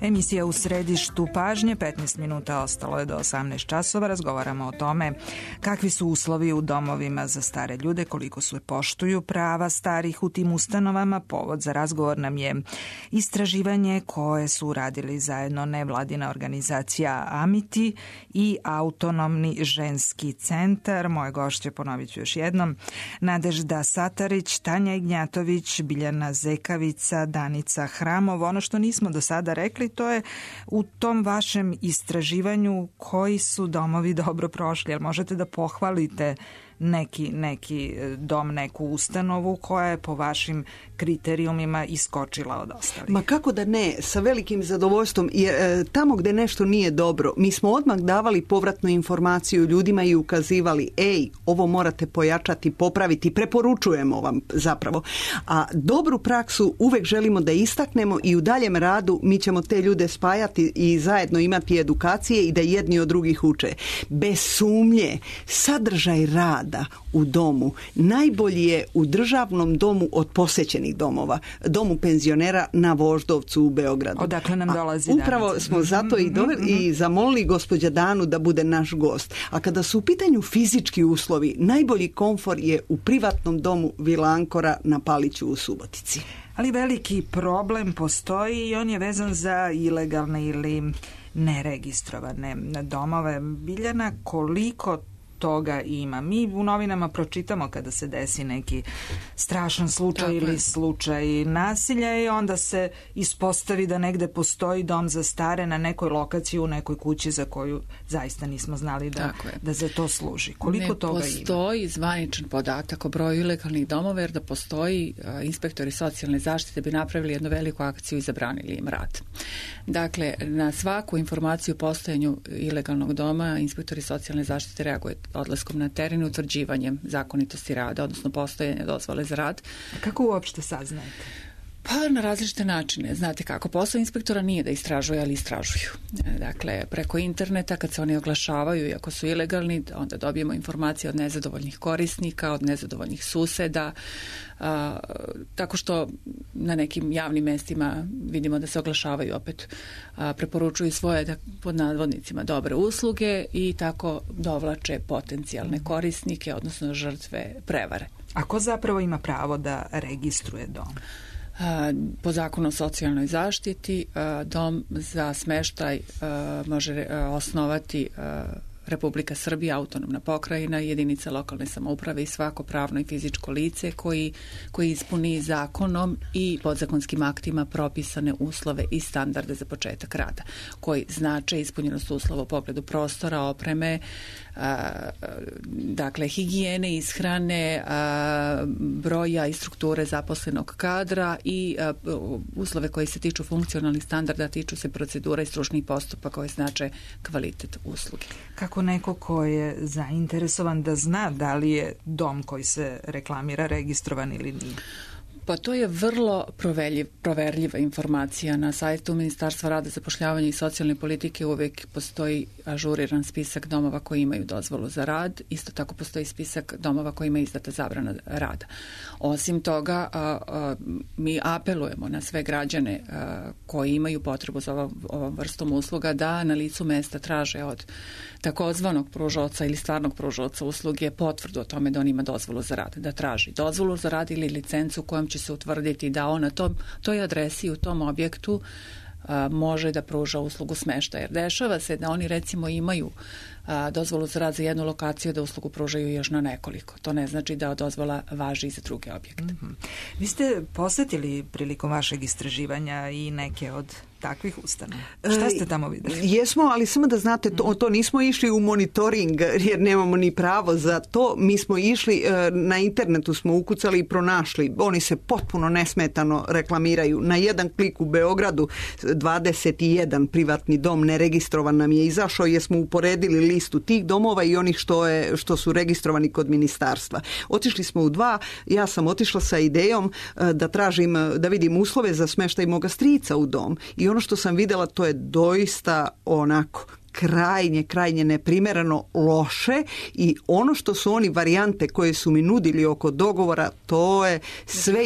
Emisija U središtu pažnje, petnaest minuta ostalo je do osamnaest časova. Razgovaramo o tome kakvi su uslovi u domovima za stare ljude, koliko se poštuju prava starih u tim ustanovama. Povod za razgovor nam je istraživanje koje su uradili zajedno nevladina organizacija Amiti i Autonomni ženski centar. Moje gošće, ponovit ću još jednom, Nadežda Satarić, Tanja Ignjatović, Biljana Zekavica, Danica Hramov. Ono što nismo do sada rekli, to je u tom vašem istraživanju koji su domovi dobro prošli. Jel možete da pohvalite neki, neki dom, neku ustanovu koja je po vašim kriterijumima iskočila od ostalih.
Ma kako da ne, sa velikim zadovoljstvom, jer e, tamo gde nešto nije dobro, mi smo odmah davali povratnu informaciju ljudima i ukazivali, ej, ovo morate pojačati, popraviti, preporučujemo vam zapravo. A dobru praksu uvek želimo da istaknemo i u daljem radu mi ćemo te ljude spajati i zajedno imati edukacije i da jedni od drugih uče. Bez sumnje, sadržaj rada u domu najbolji je u državnom domu od posećenih domova, domu penzionera na Voždovcu u Beogradu.
Odakle nam dolazi
A upravo
danas.
smo zato i, doveli, mm-hmm. i zamolili gospođa Danu da bude naš gost. A kada su u pitanju fizički uslovi, najbolji komfor je u privatnom domu Vila Ankora na Paliću u Subotici.
Ali veliki problem postoji i on je vezan za ilegalne ili neregistrovane domove. Biljana, koliko toga ima? Mi u novinama pročitamo kada se desi neki strašan slučaj Tako ili je. slučaj nasilja i onda se ispostavi da negde postoji dom za stare na nekoj lokaciji u nekoj kući za koju zaista nismo znali da, da za to služi. Koliko
ne
toga ima?
Ne postoji zvaničan podatak o broju ilegalnih domova, jer da postoji a, inspektori socijalne zaštite bi napravili jednu veliku akciju i zabranili im rad. Dakle, na svaku informaciju o postojanju ilegalnog doma inspektori socijalne zaštite reaguju odlaskom na teren, utvrđivanjem zakonitosti rada, odnosno postojanje dozvole za rad.
A kako uopšte saznajete?
Pa na različite načine. Znate kako, posao inspektora nije da istražuju, ali istražuju. Dakle, preko interneta kad se oni oglašavaju i ako su ilegalni, onda dobijemo informacije od nezadovoljnih korisnika, od nezadovoljnih suseda, a, tako što na nekim javnim mestima vidimo da se oglašavaju opet, a, preporučuju svoje da, pod nadvodnicima dobre usluge i tako dovlače potencijalne korisnike, odnosno žrtve prevare.
A ko zapravo ima pravo da registruje dom?
Po zakonu o socijalnoj zaštiti dom za smeštaj može osnovati Republika Srbija, autonomna pokrajina, jedinica lokalne samouprave i svako pravno i fizičko lice koji, koji ispuni zakonom i podzakonskim aktima propisane uslove i standarde za početak rada, koji znače ispunjenost uslova u pogledu prostora, opreme, a, dakle higijene, ishrane, a, broja i strukture zaposlenog kadra i a, uslove koji se tiču funkcionalnih standarda, tiču se procedura i stručnih postupaka koji znače kvalitet usluge.
Kako neko ko je zainteresovan da zna da li je dom koji se reklamira registrovan ili nije?
Pa to je vrlo proverljiv, proverljiva informacija. Na sajtu Ministarstva rada, zapošljavanja i socijalne politike uvek postoji ažuriran spisak domova koji imaju dozvolu za rad. Isto tako postoji spisak domova koji ima izdata zabrana rada. Osim toga, a, a, mi apelujemo na sve građane a, koji imaju potrebu za ovom, ovom vrstom usluga da na licu mesta traže od takozvanog pružaoca ili stvarnog pružaoca usluge potvrdu o tome da on ima dozvolu za rad, da traži dozvolu za rad ili licencu kojom će se utvrditi da on na tom, toj adresi u tom objektu a, može da pruža uslugu smeštaja. Jer dešava se da oni recimo imaju a, dozvolu za rad za jednu lokaciju, da uslugu pružaju još na nekoliko. To ne znači da dozvola važi i za druge objekte.
Mm-hmm. Vi ste posetili prilikom vašeg istraživanja i neke od takvih ustanova. Šta ste tamo vidjeli?
Jesmo, ali samo da znate, to, to nismo išli u monitoring jer nemamo ni pravo za to. Mi smo išli, na internetu smo ukucali i pronašli. Oni se potpuno nesmetano reklamiraju. Na jedan klik u Beogradu dvadeset jedan privatni dom neregistrovan nam je izašao jer smo uporedili listu tih domova i onih što, je, što su registrovani kod ministarstva. Otišli smo u dva. Ja sam otišla sa idejom da tražim, da vidim uslove za smeštaj moga strica u dom. I ono što sam vidjela, to je doista onako krajnje, krajnje neprimereno loše i ono što su oni varijante koje su mi nudili oko dogovora, to je sve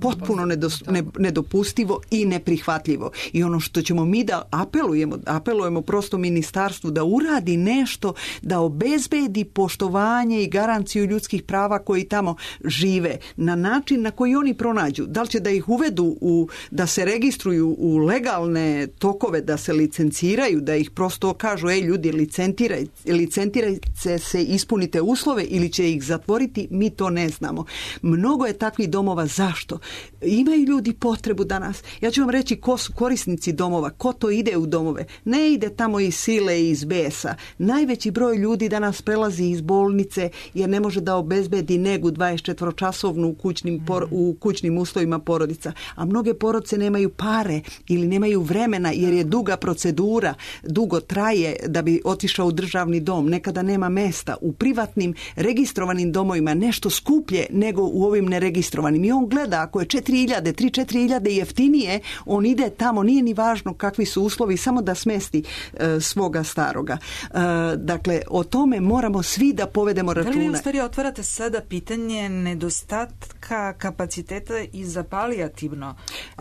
potpuno nedos, ne, nedopustivo i neprihvatljivo. I ono što ćemo mi da apelujemo, apelujemo prosto ministarstvu da uradi nešto, da obezbedi poštovanje i garanciju ljudskih prava koji tamo žive na način na koji oni pronađu. Da li će da ih uvedu u, da se registruju u legalne tokove, da se licenciraju, da ih prosto kažu, ej ljudi, licentirajte, licentirajte se, ispunite uslove ili će ih zatvoriti, mi to ne znamo. Mnogo je takvih domova. Zašto? Imaju ljudi potrebu danas. Ja ću vam reći ko su korisnici domova, ko to ide u domove. Ne ide tamo iz sile i iz besa. Najveći broj ljudi danas prelazi iz bolnice jer ne može da obezbedi negu dvadesetčetvoročasovnu u kućnim, por, u kućnim uslovima porodica. A mnoge porodice nemaju pare ili nemaju vremena jer je duga procedura, dugo traje da bi otišao u državni dom. Nekada nema mesta. U privatnim registrovanim domovima nešto skuplje nego u ovim neregistrovanim. I on gleda, ako je četiri hiljade, tri do četiri hiljade jeftinije, on ide tamo, nije ni važno kakvi su uslovi, samo da smesti e, svoga staroga. E, dakle, o tome moramo svi da povedemo računa.
Da li vi u stvari otvarate sada pitanje nedostatka kapaciteta i za palijativno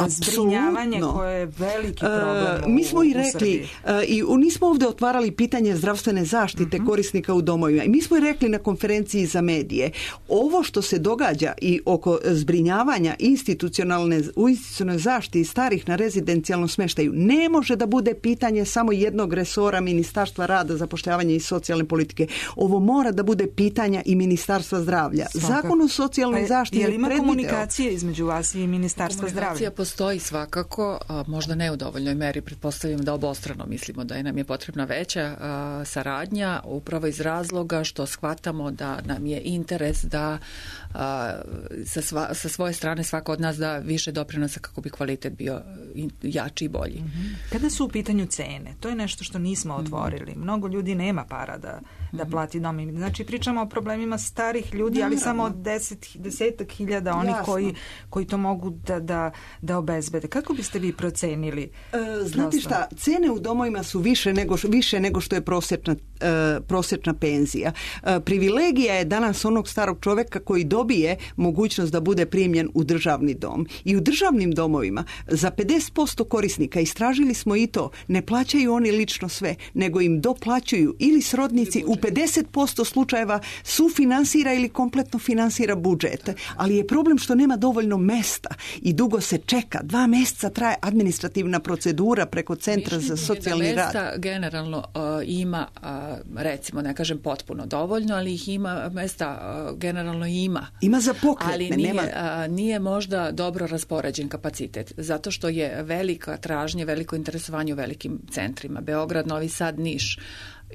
zbrinjavanje koje je veliki problem
e, Mi smo
u,
i rekli, e, i nismo ovdje otvarali pitanje zdravstvene zaštite uh-huh. korisnika u domovima. I mi smo i rekli na konferenciji za medije, ovo što se događa i oko zbrinjavanja institucionalne, u institucionalnoj zaštiti starih na rezidencijalnom smeštaju ne može da bude pitanje samo jednog resora Ministarstva rada, zapošljavanja i socijalne politike. Ovo mora da bude pitanja i Ministarstva zdravlja.
Svakako.
Zakon o socijalnoj pa, zaštiti je
ima
predvideo.
Komunikacije između vas i Ministarstva zdravlja?
Komunikacija postoji svakako, a možda ne u dovoljnoj meri. Pretpostavljam da obostrano mislimo da je nam je potrebna veća a, saradnja, upravo iz razloga što shvatamo da nam je interes da a, sa, sva, sa svoje strane svako od nas da više doprinosa kako bi kvalitet bio jači i bolji.
Mm-hmm. Kada su u pitanju cene, to je nešto što nismo otvorili. Mm-hmm. Mnogo ljudi nema para da, da plati dom. Znači pričamo o problemima starih ljudi, Naravno. ali samo deset, desetak hiljada onih koji, koji to mogu da, da, da obezbede. Kako biste vi procenili?
E, znate šta, cene u domovima su više nego, više nego što je prosječna, e, prosječna penzija. E, privilegija je danas onog starog čoveka koji dobije mogućnost da bude primljen u državni dom. I u državnim domovima za pedeset posto korisnika, istražili smo i to, ne plaćaju oni lično sve, nego im doplaćuju ili srodnici, u pedeset posto slučajeva sufinansira ili kompletno finansira budžet. Ali je problem što nema dovoljno mesta i dugo se čeka. Dva mjeseca traje administrativna procedura preko Centra za socijalni rad.
Mesta generalno uh, ima, uh, recimo, ne kažem potpuno dovoljno, ali ih ima, mesta uh, generalno ima.
Ima za pokretne.
Ali nije,
nema...
uh, nije možda dobro raspoređen kapacitet, zato što je velika tražnja, veliko interesovanje u velikim centrima. Beograd, Novi Sad, Niš.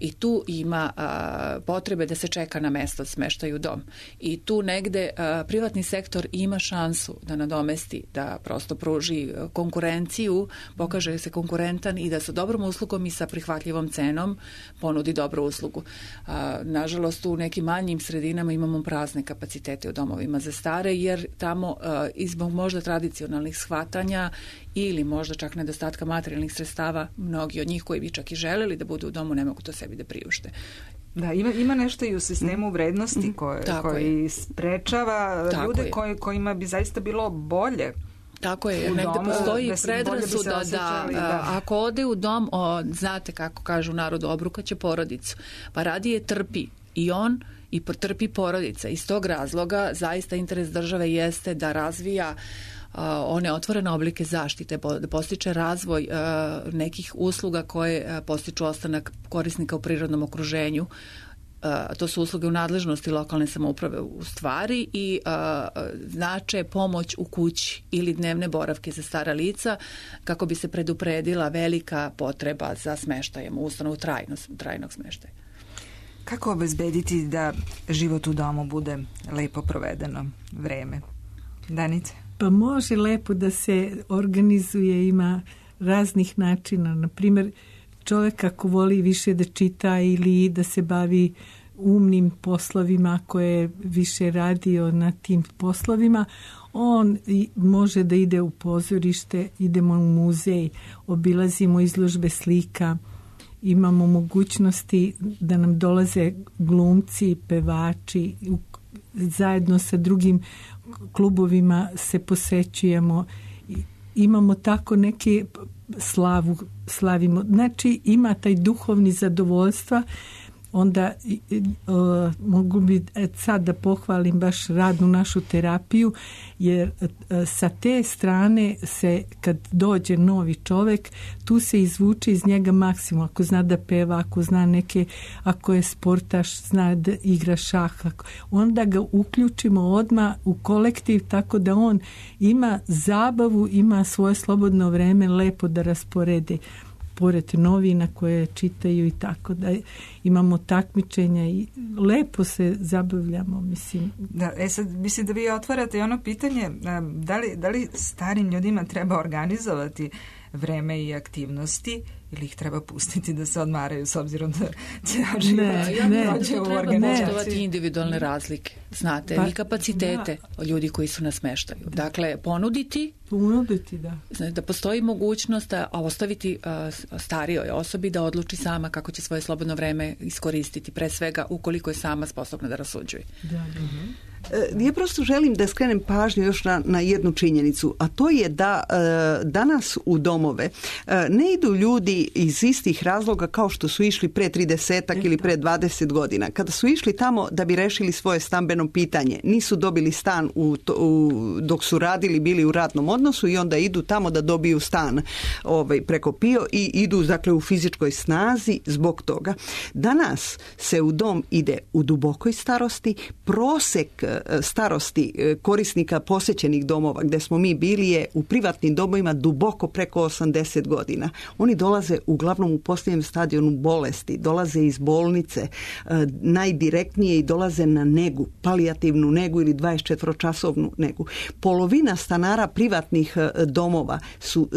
I tu ima a, potrebe da se čeka na mesto smeštaju u dom. I tu negde a, privatni sektor ima šansu da nadomesti, da prosto pruži konkurenciju, pokaže se konkurentan i da sa dobrom uslugom i sa prihvatljivom cenom ponudi dobru uslugu. A, nažalost, u nekim manjim sredinama imamo prazne kapacitete u domovima za stare, jer tamo a, izbog možda tradicionalnih shvatanja ili možda čak nedostatka materijalnih sredstava, mnogi od njih koji bi čak i želeli da budu u domu ne mogu to sebi da priušte.
Da, ima, ima nešto i u sistemu vrednosti koje, koji sprečava Tako ljude koji, kojima bi zaista bilo bolje.
Tako je, jer negde postoji predrasuda da, da, da ako ode u dom, o, znate kako kažu u narodu, obrukaće porodicu, pa radije trpi i on i trpi porodica. Iz tog razloga zaista interes države jeste da razvija Uh, one otvorene oblike zaštite, da postiče razvoj uh, nekih usluga koje uh, postiču ostanak korisnika u prirodnom okruženju. Uh, to su usluge u nadležnosti lokalne samouprave u stvari i uh, znače pomoć u kući ili dnevne boravke za stara lica kako bi se predupredila velika potreba za smeštajem u ustanovu trajnog, trajnog smeštaja.
Kako obezbediti da život u domu bude lepo provedeno vreme? Danice?
Pa može lepo da se organizuje, ima raznih načina. Na primjer, čovjek ako voli više da čita ili da se bavi umnim poslovima koje više radio na tim poslovima, on može da ide u pozorište, idemo u muzej, obilazimo izložbe slika, imamo mogućnosti da nam dolaze glumci, pevači, zajedno sa drugim klubovima se posećujemo, imamo tako neke slavu, slavimo. Znači ima taj duhovni zadovoljstva onda uh, mogu bi sad da pohvalim baš radnu našu terapiju, jer uh, sa te strane se kad dođe novi čovjek, tu se izvuče iz njega maksimum. Ako zna da peva, ako zna neke, ako je sportaš, zna da igra šah, onda ga uključimo odmah u kolektiv tako da on ima zabavu, ima svoje slobodno vreme lepo da rasporedi pored novina koje čitaju i tako da imamo takmičenja i lepo se zabavljamo, mislim.
Da, e sad, mislim da vi otvarate ono pitanje, da li, da li starim ljudima treba organizovati vreme i aktivnosti ili ih treba pustiti da se odmaraju s obzirom da cijel život prođe u organizaciji.
Treba poštovati individualne razlike, znate, pa, i kapacitete da. Ljudi koji su na smeštaju. Da. Dakle, ponuditi
ponuditi, da.
Znači, da postoji mogućnost da ostaviti uh, starijoj osobi da odluči sama kako će svoje slobodno vreme iskoristiti, pre svega ukoliko je sama sposobna da rasuđuje.
Da, da. Uh-huh.
Ja prosto želim da skrenem pažnju još na, na jednu činjenicu, a to je da e, danas u domove e, ne idu ljudi iz istih razloga kao što su išli pre tridesetak ili pre dvadeset godina. Kada su išli tamo da bi rešili svoje stambeno pitanje, nisu dobili stan u, u, dok su radili, bili u radnom odnosu i onda idu tamo da dobiju stan ovaj, preko P I O i idu dakle u fizičkoj snazi zbog toga. Danas se u dom ide u dubokoj starosti, prosek starosti korisnika posjećenih domova gdje smo mi bili je u privatnim domovima duboko preko osamdeset godina. Oni dolaze uglavnom u posljednjem stadionu bolesti, dolaze iz bolnice najdirektnije i dolaze na negu, palijativnu negu ili dvadesetčetvoročasovnu negu. Polovina stanara privatnih domova su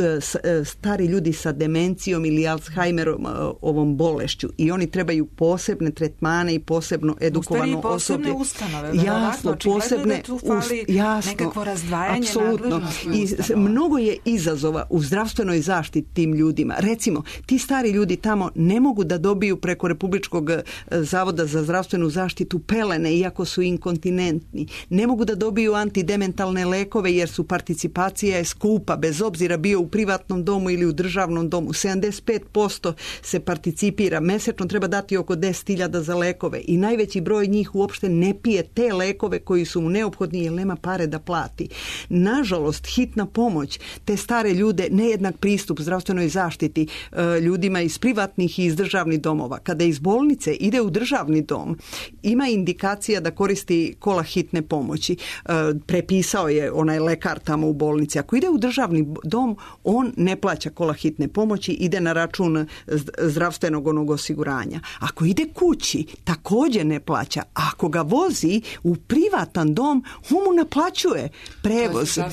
stari ljudi sa demencijom ili Alzheimerom, ovom bolešću, i oni trebaju posebne tretmane i posebno edukovano osoblje.
Ustanove,
jasno, posebne
da tu fali
jasno,
nekakvo razdvajanje
apsolutno. I mnogo je izazova u zdravstvenoj zaštiti tim ljudima. Recimo, ti stari ljudi tamo ne mogu da dobiju preko Republičkog zavoda za zdravstvenu zaštitu pelene, iako su inkontinentni. Ne mogu da dobiju antidementalne lekove jer su participacija je skupa, bez obzira bio u privatnom domu ili u državnom domu. sedamdeset pet posto se participira. Mesečno treba dati oko deset hiljada za lekove i najveći broj njih uopšte ne pije te lekove koji su mu neophodni jer nema pare da plati. Nažalost, hitna pomoć, te stare ljude, nejednak pristup zdravstvenoj zaštiti ljudima iz privatnih i iz državnih domova. Kada iz bolnice ide u državni dom, ima indikacija da koristi kola hitne pomoći. Prepisao je onaj lekar tamo u bolnici. Ako ide u državni dom, on ne plaća kola hitne pomoći, ide na račun zdravstvenog onog osiguranja. Ako ide kući, također ne plaća. Ako ga vozi u privatan dom, on mu naplaćuje prevoz.
Uh,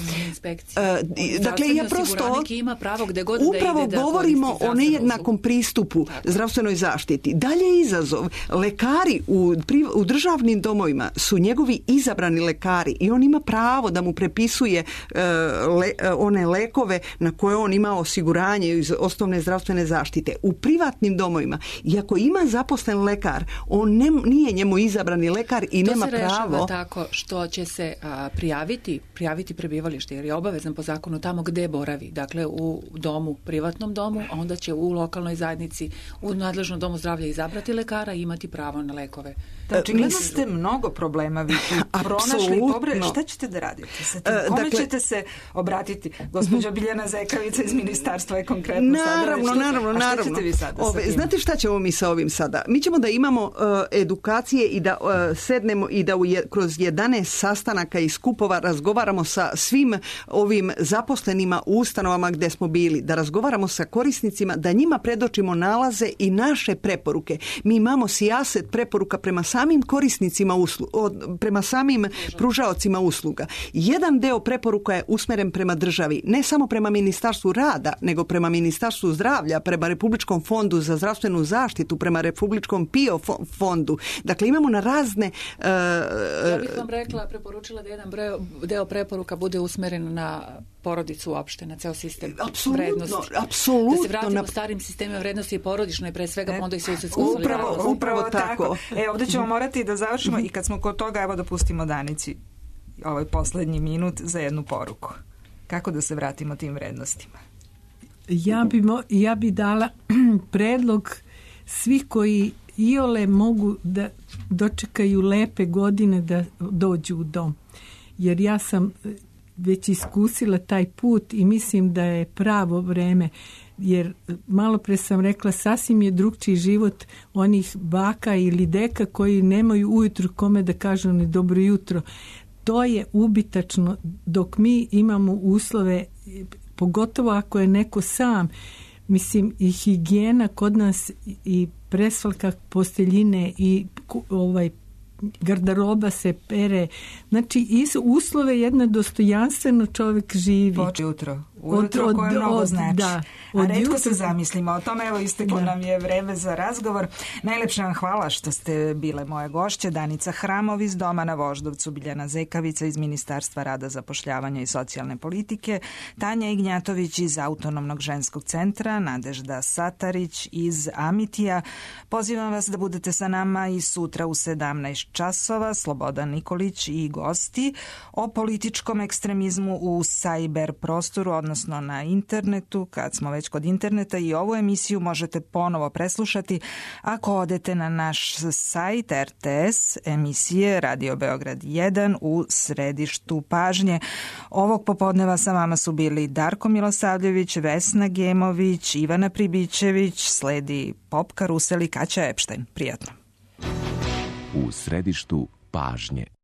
dakle, ja prosto
ima pravo gde god
upravo
da ide
govorimo
da
o nejednakom pristupu tako. Zdravstvenoj zaštiti. Dalje izazov. Lekari u, u državnim domovima su njegovi izabrani lekari i on ima pravo da mu prepisuje uh, le, uh, one lekove na koje on ima osiguranje iz osnovne zdravstvene zaštite. U privatnim domovima, iako ima zaposlen lekar, on ne, nije njemu izabrani lekar i
to
nema
se
pravo.
rešava tako što će se a, prijaviti, prijaviti prebivalište jer je obavezan po zakonu tamo gde boravi. Dakle, u domu, privatnom domu, a onda će u lokalnoj zajednici, u nadležnom domu zdravlja izabrati lekara i imati pravo na lekove.
Znači, gledali ste mnogo problema vi tu pronašli. Dobre, šta ćete da radite sa tim? Kome dakle, ćete se obratiti? Gospođa Biljana Zekavica iz ministarstva je konkretno
naravno,
sada.
Naravno,
a
naravno.
Šta ćete vi sada
Ove,
sa tim?
Znate šta ćemo mi sa ovim sada? Mi ćemo da imamo uh, edukacije i da uh, sednemo i da u je, kroz jedanaest sastanaka i skupova razgovaramo sa svim ovim zaposlenima u ustanovama gde smo bili, da razgovaramo sa korisnicima, da njima predočimo nalaze i naše preporuke. Mi imamo sijaset preporuka prema samim korisnicima usluga, prema samim pružaocima usluga. Jedan deo preporuka je usmeren prema državi, ne samo prema Ministarstvu rada, nego prema Ministarstvu zdravlja, prema Republičkom fondu za zdravstvenu zaštitu, prema Republičkom P I O fondu. Dakle, imamo na razne... Uh,
ja bih vam rekla, preporučila da jedan broj, deo preporuka bude usmeren na porodicu uopšte, na ceo sistem
apsolutno,
vrednosti.
Apsolutno.
Da se vratimo
na...
starim sistemima vrednosti i porodičnoj, pre svega
e,
onda i susedsko
upravo,
solidarnost.
upravo tako. E, ovdje ćemo morati da završimo i kad smo kod toga, evo da pustimo Danici ovaj poslednji minut za jednu poruku. Kako da se vratimo tim vrednostima?
Ja bi, mo, ja bi dala predlog svih koji iole mogu da dočekaju lepe godine da dođu u dom. Jer ja sam već iskusila taj put i mislim da je pravo vreme, jer malo pre sam rekla sasvim je drugčiji život onih baka ili deka koji nemaju ujutru kome da kažu ni dobro jutro. To je ubitačno dok mi imamo uslove, pogotovo ako je neko sam, mislim i higijena kod nas i presvalka posteljine i ovaj garderoba se pere. Znači, iz uslove jedno dostojanstveno čovjek živi.
Poče jutro. Ujutro od, koje mnogo od, znači.
Da,
A retko jutro se zamislimo o tome. Evo, isteklo nam je vreme za razgovor. Najlepša vam hvala što ste bile moje gošće. Danica Hramov iz Doma na Voždovcu, Biljana Zekavica iz Ministarstva rada, zapošljavanja i socijalne politike, Tanja Ignjatović iz Autonomnog ženskog centra, Nadežda Satarić iz Amitija. Pozivam vas da budete sa nama i sutra u sedamnaest časova. Slobodan Nikolić i gosti o političkom ekstremizmu u sajber prostoru, odnosno na internetu. Kad smo već kod interneta, i ovu emisiju možete ponovo preslušati ako odete na naš sajt R T S emisije Radio Beograd jedan u središtu pažnje. Ovog popodneva sa vama su bili Darko Milosavljević, Vesna Gemović, Ivana Pribićević, sledi Pop Karusel i Kaća Epštajn. Prijatno.
U središtu pažnje.